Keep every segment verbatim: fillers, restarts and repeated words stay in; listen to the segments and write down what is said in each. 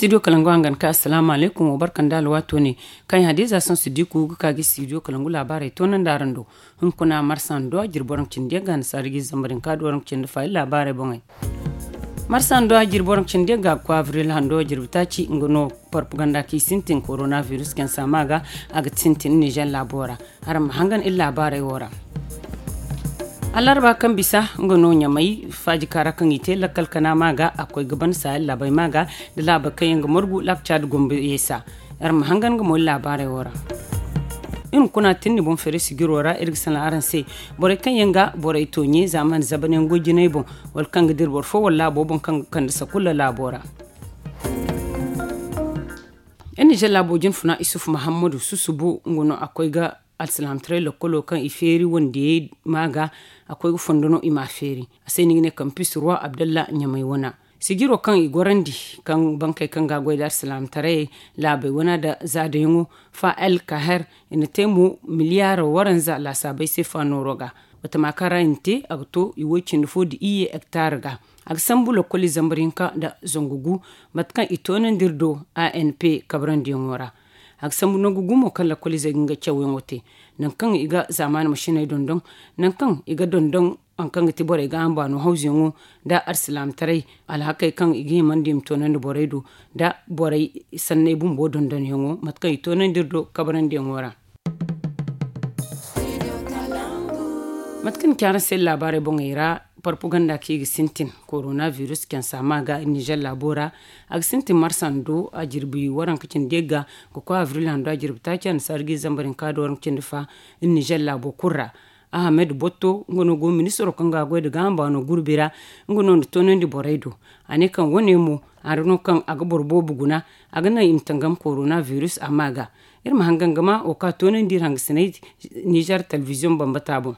Studio kalangu hangan ka assalamu alaikum wa barkan da alwato ne. Kaŋ ya hadiza son su diku ga ka ga studio kalangu labarai to nan da aran do. Hunkuna marsan do a jirboran cindi ga na sarigi zambarin ka doran cindi fa labarai bongai. Marsan do a jirboran cindi ga kwa avril hando jirbi taci nga no propaganda ki sintin coronavirus ken sama ga a ga sintin nijar labora. Aran ma hangan iri labarai wora. Alarba kaŋ bisa nga no ɲamai faji kara kaŋ i te lakkal kana ma ga a koy ga ban sayar labai ma ga da labai kaŋ yaŋ ga margu lakca da gombe yesa. Aran ma hangan ga mo iri labarai wora. Iri kuna tinni boŋ fere sigiro ra iri ga sana aran se. Borey kaŋ yaŋ ga borey toɲe zamani zabane ngo jinay boŋ wala kaŋ ga dira boro fo wala laabo boŋ kaŋ ga kande sakulla laabo ra. Yan nijar laabo jinfuna isuf muhammadu susubu nga no a koy ga alsilaamtaray lakkolo kaŋ i feeri wandiyey ma ga a koy ga fondo no i ma feeri. A se ni ga ne kampis ruwa abdalla ɲamay wana sijiro kaŋ i gorandi kaŋ bankey kaŋ ga a goy da alsilaamtaray laabey wana da zaadayaŋo fa el kaher i na te mo miliyaaro waranza laasaabey se fa nooro ga. Batama kaŋ ra i na te a ga to i woy cindi fo da iyye hektar ga. A ga sambu lakkoli zambar hinka nda zangu gu mate kaŋ i toonandi iri do anp kabrandiyaŋo ra. A ga sambu nangu gu mo kaŋ lakkoli zey ga nga cawyaŋo te nangu kaŋ i ga zaamaani masiney dondon nangu kaŋ i ga dondon. Haŋ kaŋ ga ti borey ga ambaano hawzuyaŋo nda alsilaamataray alhakey kaŋ i ga himandi i ma toonandi borey do nda borey sanney bumbo dondonyaŋo mate kaŋ i toonandi iri do kabrandiyaŋo ra. Mate kaŋ ni ci araŋ se laabaaray boŋey ra parpuganda kaŋ i ga sintin koronavirus cansa ma ga nizer laabo ra. A ga sintin marsando a jirbi waranka cindi yagga ga koy avril hando a jirbi taaci annasaara ga i zambar hinka da waranka cindi fa nizer laabo kulu ra. Ahamed botto nga no go ministiro kaŋ ga a goy nda gaaham baano gurbi ra. Nga no na toonandi borey do a ne kaŋ wane mo hari no kaŋ a ga boro boobo guna a ga naŋ i ma tangam koronavirus a ma ga. Iri ma hangan ga ma wo kaŋ a toonandi iri hangasiney nizer telebiziyoŋ bambata boŋ.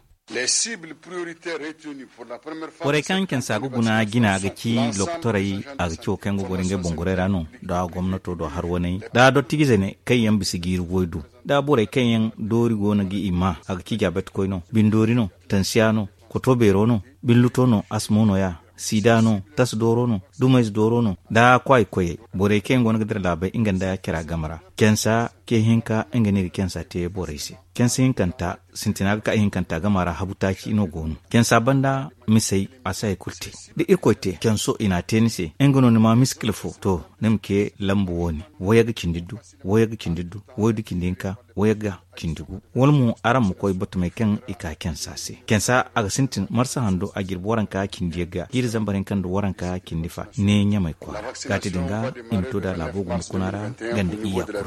Borey kaŋ cansa ga guna jina ga ci lokotorey a ga ci wo kaŋ yaŋ ga goro ngey boŋ gorey ra no nda gomnato do har waney nda dottijizey ne kaŋ yaŋ bisa jiiri goy du nda borey kaŋ yaŋ doori go no ga i ma a ga ci jaabeetikoy no bindoori no tansiya no koto beero no binluto no asmo no ya siida no tas dooro no dumayze dooro no nda kwaayi koyey borey kaŋ yaŋ go no ga dira laabey nga nda care game ra cansa ce hinka nga no i ga cansa te borey se cansa hinkanta sintina ga ka ihinkanta game ra habu taaci no go no cansa banda misey a si hari kulu te da irkoy te canso i n'a te ni se nga no ni ma miskila fo to ni ma ce lambu wo-ne wayagga cindi du wayagga cindi du waydu cindi hinka wayagga cindi gu wala mo araŋ ma koy batumey kaŋ i ka cansa se cansa a ga sintin marsa hando a jirbi waranka cindi yagga jiiri zambar hinka nda waranka cindi fa ne ɲamay kwaara gaati din ga i ma to da laabo gumba kuna ra ganda iyya kulu ra.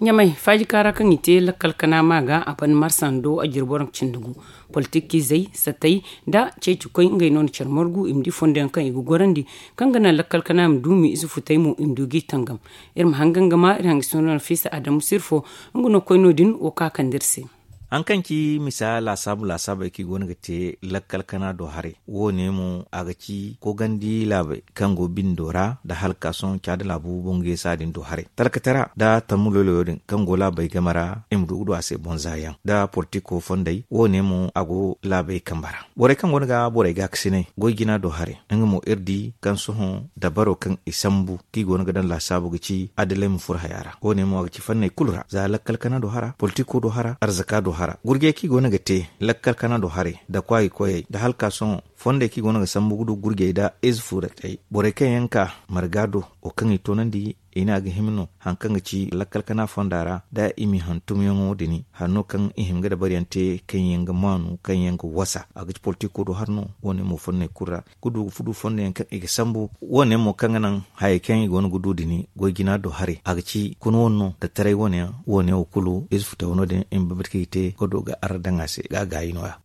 Ɲamay faaji kaara kaŋ i te lakkal kana ma ga a ban marsando a jirbi waranka cindi gu politikizey satay nda ceecikoy ngey no na care margu i ma di fondo yaŋ kaŋ i ga gorandi kaŋ ga naŋ lakkal kana ma duumi ize futay mo i ma du g'i tangam. Iri ma hangan ga ma iri hangasino nafisa adamu sirfo nga no koy no- din wo kaŋ a kande iri se. Haŋ kaŋ ci misa laasaabu laasaabey kaŋ i go no ga te lakkal kana do haray wo- ne mo a ga ci kogandi laabey kaŋ go bindo ra nda halkasoŋ caada laabu boŋ ga yeesa din do haray talkatara nda tammu loyloyo din kaŋ go laabey game ra i ma du ga du a se boŋ zaayaŋ nda politiko fondey wo- ne mo a go laabey kambe ra borey kaŋ go no ga borey gaakasinay goy jina do haray nga mo iri di kaŋ sohõ dabaro kaŋ i sambu kaŋ i go no ga daŋ laasaabu ga ci adalay ma furo haya ra wo- ne mo a ga ci fanney kulu ra za lakkal kana do hara politiko do hara arzaka do hara gurjey kaŋ i go no ga te lakkal kana do haray nda kwaayi koyey nda halkasoŋo fondey kaŋ i go no ga sambu ga du gurjey nda ize fuuratey borey kaŋ yaŋ ka marga do wo kaŋ i toonandi i ne a ga hima no haŋ kaŋ ga ci lakkal kana fonda ra nda i ma i hantumyaŋo din hari no kaŋ i hima ga dabariyaŋ te kaŋ yaŋ ga maanu kaŋ yaŋ ga wasa a ga ci politiko do hari no wo- ne mo fonney kulu ra ga du ga fudu fondo yaŋ kaŋ i ga sambu wo- ne mo kaŋ ga naŋ hayey kaŋ i go no ga du din goy jina do haray a ga ci kuna wane no nda taray wane yaŋ wo- ne wo kulu ize futay wano din i ma bambata kaŋ i te ga do ga arra daŋ a se ga a gaayi no- ya.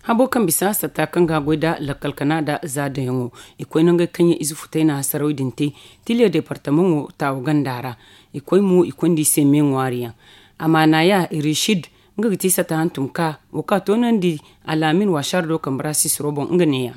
Habo kaŋ bisa satta kaŋ ga a goy nda lakkal kana nda za dayaŋo i koy nangey kaŋ yaŋ ize futay na hasaraw din te tiliya departamaŋo taawa ganda ra. I koy mo i konda i se me ŋwaari yaŋ amaana ya rishid nga ga ti satta hantum ka wo kaŋ a toonandi alaamin waasar do kambe ra sisiro boŋ nga ne- ya.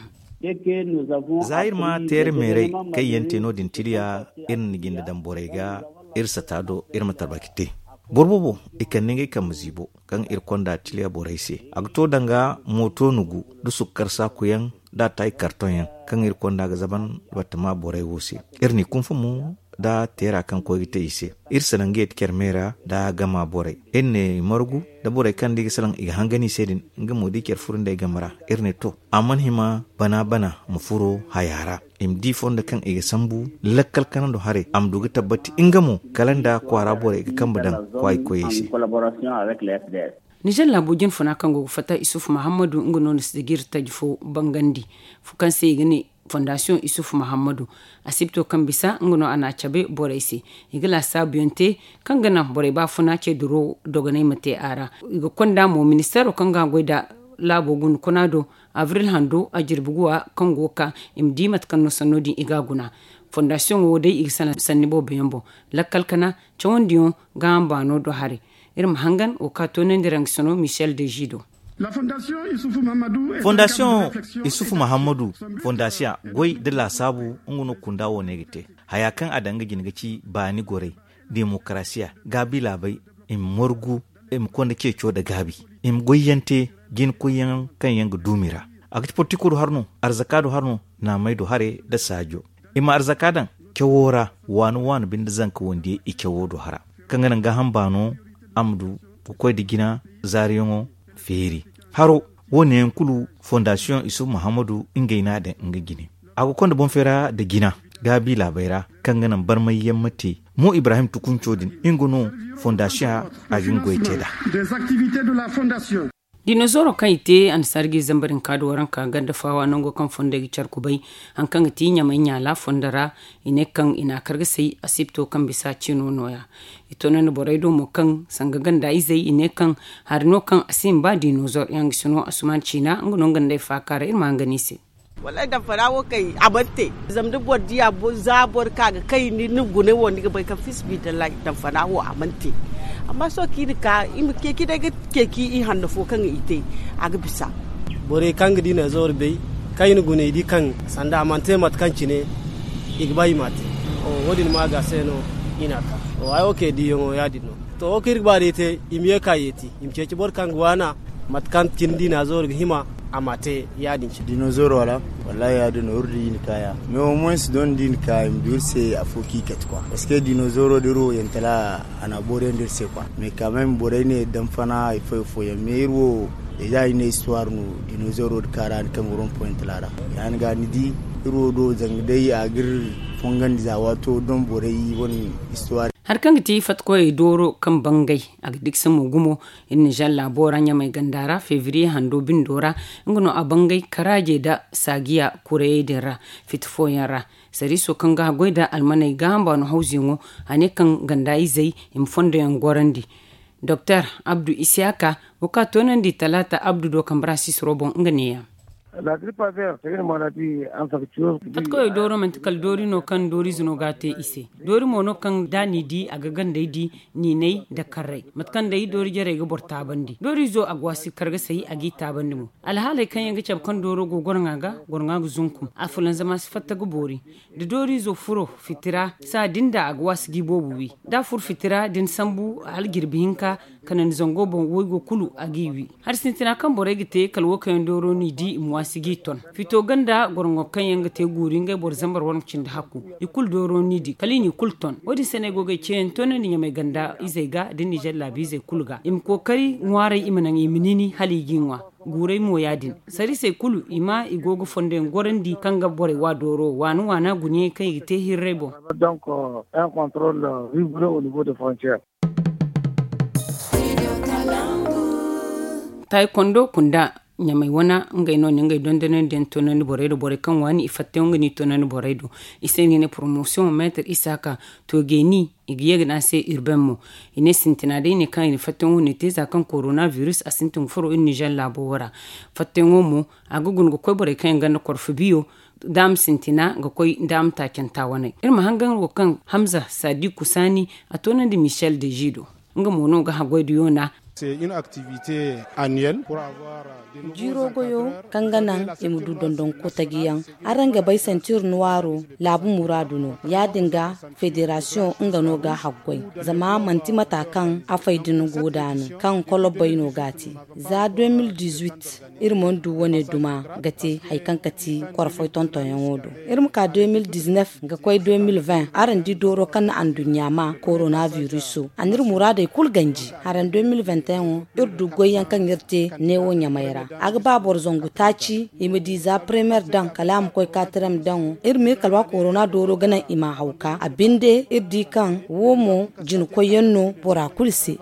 Za iri ma teere meeray kaŋ yaŋ te no- din tiliya iri na jinde daŋ borey ga iri satta do iri ma tabaki te boro boobo i kande ngey kambe ziibo kaŋ iri konda tiliya borey se a ga to danga mooto nugu nda sukkar saakuyaŋ nda a taayi kartoŋ yaŋ kaŋ iri konda ga zaban battama borey wo se. Iri n'i kunfa mo nda teera kaŋ koy ga te i se. Iri salaŋ ga yeeti care me ra nda gama borey. Iri ne i margu nda borey kaŋ da i ga salaŋ i ga hangan i se din, nga mo da i care furo nd'ey game ra. Iri ne to, a mana hima bana bana ma furo haya ra. I ma di fondo kaŋ i ga sambu lakkal kanando haray, a ma du ga tabbati nga mo kala nda kwaara borey ga kambe daŋ kwaayi koyey se. Nizer laabo jinfuna kaŋ go ga fatta isufu mahammadu nga no na sijir taji fo bangandi, kaŋ se i ga ne fondasiyoŋ isufu mahammadu. Asibto kaŋ bisa nga no a n'a cabe borey se. I ga laasaabuyaŋ te kaŋ ga naŋ borey baafuna ce duro dogonay ma te a ra. I ga konda mo ministeero kaŋ ga goy nda laabo guna kuna do abril hando a jirbi guwa kaŋ go ga ka i ma di mate kaŋ no sanno din i ga a guna. Fondasiyoŋo wo day i ga salaŋ sanni boobo yaŋ boŋ. Lakkal kana cawandiyaŋ gaaham baano do haray. Iri ma hangan wo ka toonandi rangasino michel de jido. Fondasiyoŋ isufu mahammadu fondasiya goy nda laasaabu nga no kunda wo no ay ga te. Haya kaŋ a daŋ ga jina ga ci baani gorey, demokarasiya, gaabi laabey, i ma margu, i ma konda ceeco nda gaabi, i ma goyyaŋ te jina koyyaŋ kaŋ yaŋ ga duumi ra. A ga ci politiko do har no, arzaka do har no, naamey do hare nda saajo. I ma arzaka daŋ cawo ra, waani waani binde zanka wandiyey i cawo do hara kaŋ ga naŋ gaaham baano a ma du ga koy nda jina zaariyaŋo feeri. Haro wo- ne yaŋ kulu fondasiyoŋ isufu mahammadu ngey no a daŋ nga jine. A ga konda boŋ feera nda jina gaabi laabey ra kaŋ ga naŋ barmayyaŋ ma te. Mo ibrahim tukunco din nga no fondasiyoŋ a ga nga goy te nd'a. Dinozooro kaŋ i te annasaara ga i zambar hinka da waranka ganda faawa nango kaŋ fondey ga care kubay, hari kaŋ ga ti ɲamay ɲaala fondo ra. I ne kaŋ i n'a kar ga say asibto kaŋ bisa ciino nooya. I toonandi borey do mo kaŋ sanga ganda izey i ne kaŋ hari no kaŋ a si hin ba dinozoor yaŋ ga si no asuman ciina nga no nga nd'ey faaka ra iri ma hangan i se. Wallaahi damfana wo kay a mana te. Zama da boro diya za boro ka ga kay ni gunay wo ni ga bay kaŋ fi sabilillahi damfana wo a mana te. Amma sohõ kaŋ i na ka i ma ceeci day ga ceeci i hanno fo kaŋ i te a ga bisa. Borey kaŋ ga dinozoor bay kaŋ i na gunay di kaŋ sanda a mana te mate kaŋ cine i ga ba i ma te. Wo- din ma ga se no i na ka. Hayo kay diyaŋo ya- din no. To wo kaŋ iri ga ba day te i ma ye ka yeeti i ma ceeci boro kaŋ ga waana mate kaŋ cine dinozoor ga hima a ma te ya- din cine. Dinozoor wala? Wallaahi ya- din no iri di i na ka ya mais au moins don da i na ka i ma du iri se afo kaŋ i kate kwa parce que dinozooro da iri wo yantala a na a booriyandi iri se kwa mais ka même borey ne damfana hari fooyaŋ fooyaŋ mais iri wo deja i ne histoire no. Dinozooro da kaara ni kaŋ ga rom point la ra ya- din ga ni di iri wo do zanga day a ga iri fongandi za waato don borey wane histoire. Hari kaŋ ga ti fatkoyey dooro kaŋ bangay a ga diksa mo gumo iri nizer laabo ra ɲamay ganda ra febriye hando bindo ra nga no a bangay karaaje nda saajiya kurayey din ra fiti fooyaŋ ra. Sariiso kaŋ ga haggoy nda almaney gaaham baano hawzuyaŋo a ne kaŋ ganda izey i ma fondoyaŋ gorandi. Doktor abdu isiyaka wo kaŋ a toonandi talaata abdu do kambe ra sisiro boŋ nga neeya. Fatkoyo dooro manti kala doori no kaŋ dooriize no ga a te i se. Doori mo no kaŋ da ni di a ga gandey di niiney nda karrey mate kaŋ day doori jarey ga boro taabandi dooriizo a ga waasi kargasay a g'i taabandi mo. Alhaaley kaŋ yaŋ ga cabe kaŋ dooro go gorŋa ga gorŋa ga zunkum a fulanzama si fatta ga boori. Da dooriizo furo fitira saa din da a ga waasi ga i boobo wi da a furo fitira da ni sambu hala jirbi hinka kanandi zango boŋ waygo kulu a g'i wi. Hari sintina kaŋ borey ga te kala wo kaŋ yaŋ dooro n'i di i ma waasi g'i ton. Fito ganda gorŋo kaŋ yaŋ ga te guuri ngey boro zambar wane cindi hakku i kulu dooro n'i di kala i n'i kulu ton. Wo- din se no ay go ga ay ceeyaŋ toonandi ɲamay ganda izey ga da nizer laabiizey kulu ga i ma kookari ŋwaaray i ma naŋ i ma niini hala i g'i ŋwa. Guuray mo ya- din sariisey kulu i ma i go ga fondoyaŋ gorandi kaŋ ga borey wa dooro waana waana gunayaŋ kaŋ i ga te hirray boŋ. Taayi kondo kunda ɲamay wana ngey no na ngey dondonandiyaŋ toonandi borey do borey kaŋ waani i fattayaŋo ga n'i toonandi borey do. I se no i ga ne poromosiyoŋ meetar isaaka to geeni i ga ye ga ne a se urbain mo. I ne sintina day ne kaŋ i na fattayaŋo ne te za kaŋ korona virus a sintin ga furo iri nizer laabo wo ra. Fattayaŋo mo a ga guna ga koy borey kaŋ yaŋ ganda korfo biyo daama sintina ga koy daama taacanta waney. Iri ma hangan wo kaŋ hamza sadiku saani a toonandi michel de jido nga mo no ga haggoy da yoona. Jiiro goyo kaŋ ga naŋ i ma du dondon kotajiyaŋ. Araŋ ga bay sentir nuwaaro laabu muraadu no. Ya-din ga federasiyoŋ nga no ga a haggoy. Zama manti mata kaŋ a fay din go da no kaŋ kolobbay no ga a te. Za deux mille dix-huit iri mana du wane duma ga te hari kaŋ ka ti korfoy tontonyaŋo do. Iri ma ka deux mille dix-neuf ga koy deux mille vingt araŋ di dooro kaŋ na anduɲɲa ma korona viruso a na iri muraadey kulu ganji. Haraŋ deux mille vingt et un iri du goyyaŋ kaŋ iri te neewo ɲamay ra. A ga ba boro zangu taaci i ma di za premer daŋ kala a ma koy katirem daŋo. Iri ma iri kalwa korona dooro ga naŋ i ma a hawka a binde iri di kaŋ wo mo jina koyyaŋ no bora kulu se.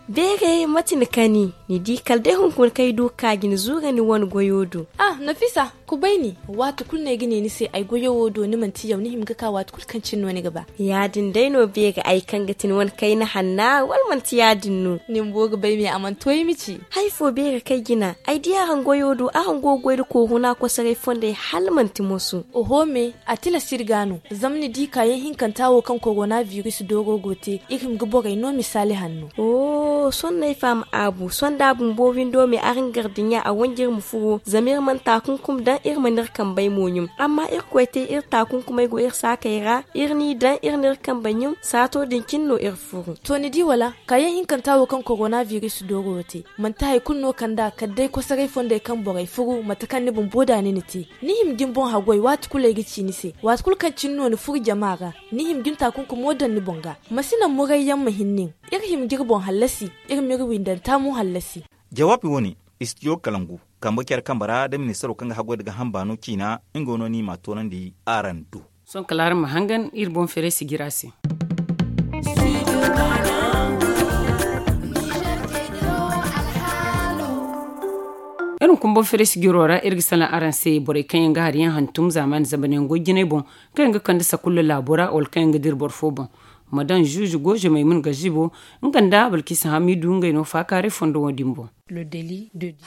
Beeray mate ni kani ni di kala day hunkuna kaŋ ay du ga ka ga ni zuura ni wane goyo do. Ah nafisa, kubay ni. Waati kulu no ay ga ne ni se ay goyo wo do ni manti yaw ni hima ga ka waati kulu kaŋ cine no ni ga ba. Ya-din day no beeray ay kaŋ ga ti ni wane kayna hanna wala manti ya-din no? Ni bumbo ga bay me a mana to ay ma ci. Hari fo beeray kaŋ ay jina ay di araŋ goyo do araŋ go ga goy nda kooru no a kosoray fondey hala manti moso. Oho me, a tilas iri ga no. Zama ni di kaayaŋ hinkanta wo kaŋ korona biris dooro go te iri hima ga borey no misaali hanno. Oho sohõ no ay faham aabu sohõ da a bumbo windo me araŋ gardiɲa a wanji iri ma furo zama iri mana taakunkum daŋ iri mana iri kambey mo ɲum. Amma irkoy te iri taakunkumey go iri saakey ra iri n'i daŋ iri n'iri kambey ɲum saato din cine no iri furu. To ni di wala? Kaayaŋ hinkanta wo kaŋ korona biris dooro wo te manti hari kulu no kand'a kala day kosoray fondey kaŋ borey furu mate kaŋ ni bumbo da ni na te. Ni hima ga ni boŋ haggoy waati kulu ay ga ci ni se waati kulu kaŋ cine no ni furu jama ra. Ni hima ga ni taakunkumo daŋ ni boŋ ga. Ma si naŋ murayyaŋ ma hin nin. Iri hima ga iri boŋ hallasi. Iri ma iri windanta mo hallasi. Jawaabi wo- ne istidiyo kalangu kambe care kambe ra da ministaro kaŋ ga haggoy nda gaaham baano ciina nga no no i m'a toonandi araŋ do. Sohõ kala araŋ ma hangan iri boŋ feeray sijira se. Iri hunkuna boŋ feeray sijiro ra iri ga salaŋ araŋ se borey kaŋ yaŋ ga hari yaŋ hantum zaamaani zambar yaŋ goy jinay boŋ kaŋ yaŋ ga kande sakulla laabo ra wala kaŋ yaŋ ga dira boro fo boŋ. Ma daŋ zuuzu gooze maymun gazibo nga nda balkisa hamidu ngey no faakaaray fondo wo- din boŋ.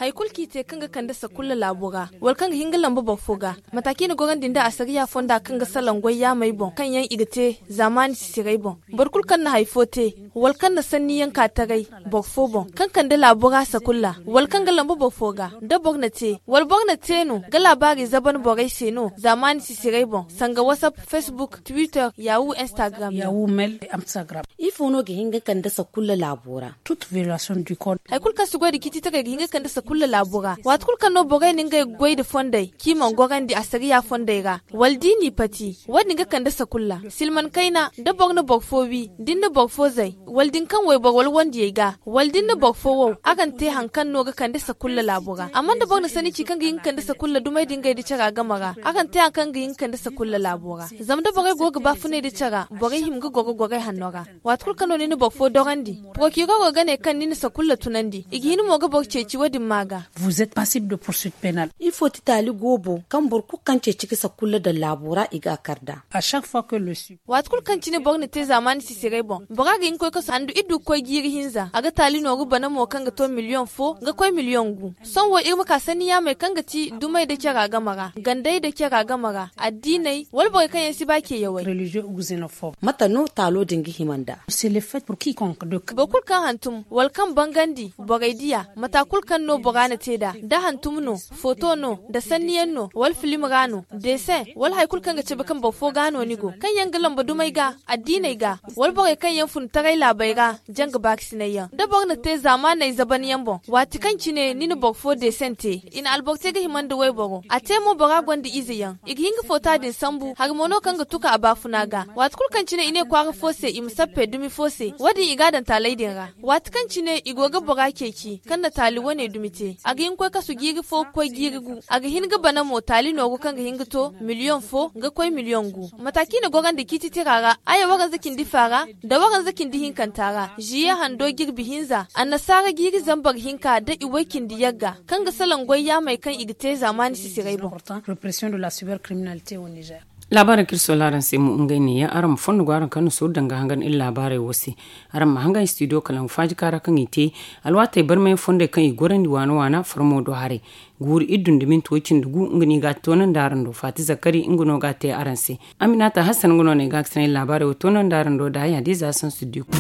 Hari kulu kaŋ i te kaŋ ga kande sakulla laabo ra wala kaŋ ga hin ga lamba boro fo ga, mata kaŋ i na gorandi nda asariya fonda kaŋ ga salaŋ goy yaamey boŋ kaŋ yaŋ i ga te zaamaani sisirey boŋ. Boro kulu kaŋ na hari fo te wala kaŋ na sanniyaŋ ka taray boro fo boŋ kaŋ kande laabo ra sakulla wala kaŋ ga lamba boro fo ga, da boro na te wala boro na te no ga laabaari zaban borey se no zaamaani sisirey boŋ sanga wasapp, facebook, twitter, yahoo, instagram yaŋ. Ifo no ga hin ga kande sakulla laabo ra? Hari kulu kaŋ si goy nda ciititaray ga hin ga kande sakulla laabo ra waati kulu kaŋ no borey na ngey goy nda fondey kaŋ i mana gorandi asariya fondey ra, wala da i n'i pati wo- din ga kande sakulla. Silman kayna da boro na boro fo wi da ni na boro fo zay wala da ni kaŋ wayboro wala wandiyey ga wala da ni na boro fo wow, araŋ te hari kaŋ no ga kande sakulla laabo ra. Amma da boro na sanni ci kaŋ ga hin ga kande sakulla dumey da ngey nda cara game ra, araŋ te hari kaŋ ga hin ga kande sakulla laabo ra. Zama da borey go ga baafunay nda cara borey hima ga goro gorey hanno ra. Waati kulu kaŋ no ni na boro fo dorandi, porokiroro ga ne kaŋ ni na sakulla tunandi i ga hin mo ga boro ceeci wo- din ma ga. Ifo ti taali goobo kaŋ boro kulu kaŋ ceeci ga sakulla daŋ laabo ra i ga a kar nd'a? Waati kulu kaŋ cine boro na te zaamaani sisirey boŋ bora ga hin ga koy kasu handu iri du ga koy jiiri hinza a ga taali nooru bana mo kaŋ ga to miliyoŋ fo ga koy miliyoŋ gu. Sohõ wo iri ma ka sanni yaamey kaŋ ga ti dumey nda cara game ra gandey nda cara game ra addiiney wala borey kaŋ yaŋ si ba ceeyawey. Mate no taalo din ga hima nd'a? Boro kulu kaŋ hantum wala kaŋ bangandi borey diya mata kulu kaŋ no bora na te nd'a da hantum no, foto no, nda sanniyaŋ no wala filim ra no, desin wala hari kulu kaŋ ga cabe kaŋ boro fo ga no ni go kaŋ yaŋ ga lamba dumey ga, addiiney ga, wala borey kaŋ yaŋ fun taray laabey ra, janga baakasinay yaŋ da boro na te zaamaaney zaban yaŋ boŋ waati kaŋ cine ni na boro fo desin te, i na alboro te ga hima nda wayboro a te mo bora gonda ize yaŋ i ga hin ga foota din sambu hari mo no kaŋ ga tuka a baafuna ga. Waati kulu kaŋ cine i ne kwaara fo se i ma sappe dumi fo se wo- din i ga a daŋ taaley din ra. Waati kaŋ cine i go ga bora ceeci kaŋ na taali wane dumi te a ga hin ga koy kasu jiiri fo ga koy jiiri gu a ga hin ga bana mo taali nooru kaŋ ga hin ga to miliyoŋ fo ga koy miliyoŋ gu. Mata kaŋ i na gorandi ciititira ra aya waranza cindi fa ra nda waranza cindi hinkanta ra ziye hando jirbi hinza annasaara jiiri zambar hinka nda iway cindi yagga kaŋ ga salaŋ goy yaamey kaŋ i ga te zaamaani sisirey boŋ. Laabaarey kaŋ iri sola araŋ se mo ngey neeya, araŋ ma fondo go araŋ kaŋ na sooru danga hangan iri laabaarey wo se. Araŋ ma hangan studio kalangu faaji kaara kaŋ i te alwaatey barmay fondey kaŋ i gorandi waana waana farmo do haray. Guuru iri dun da minti way cindi gu nga no i ga a toonandi araŋ do faati zakari nga no ga a te araŋ se. Aminata hassan nga no no i ga a ga sanay laabaarey wo toonandi araŋ do da haya da ize a sansu diku.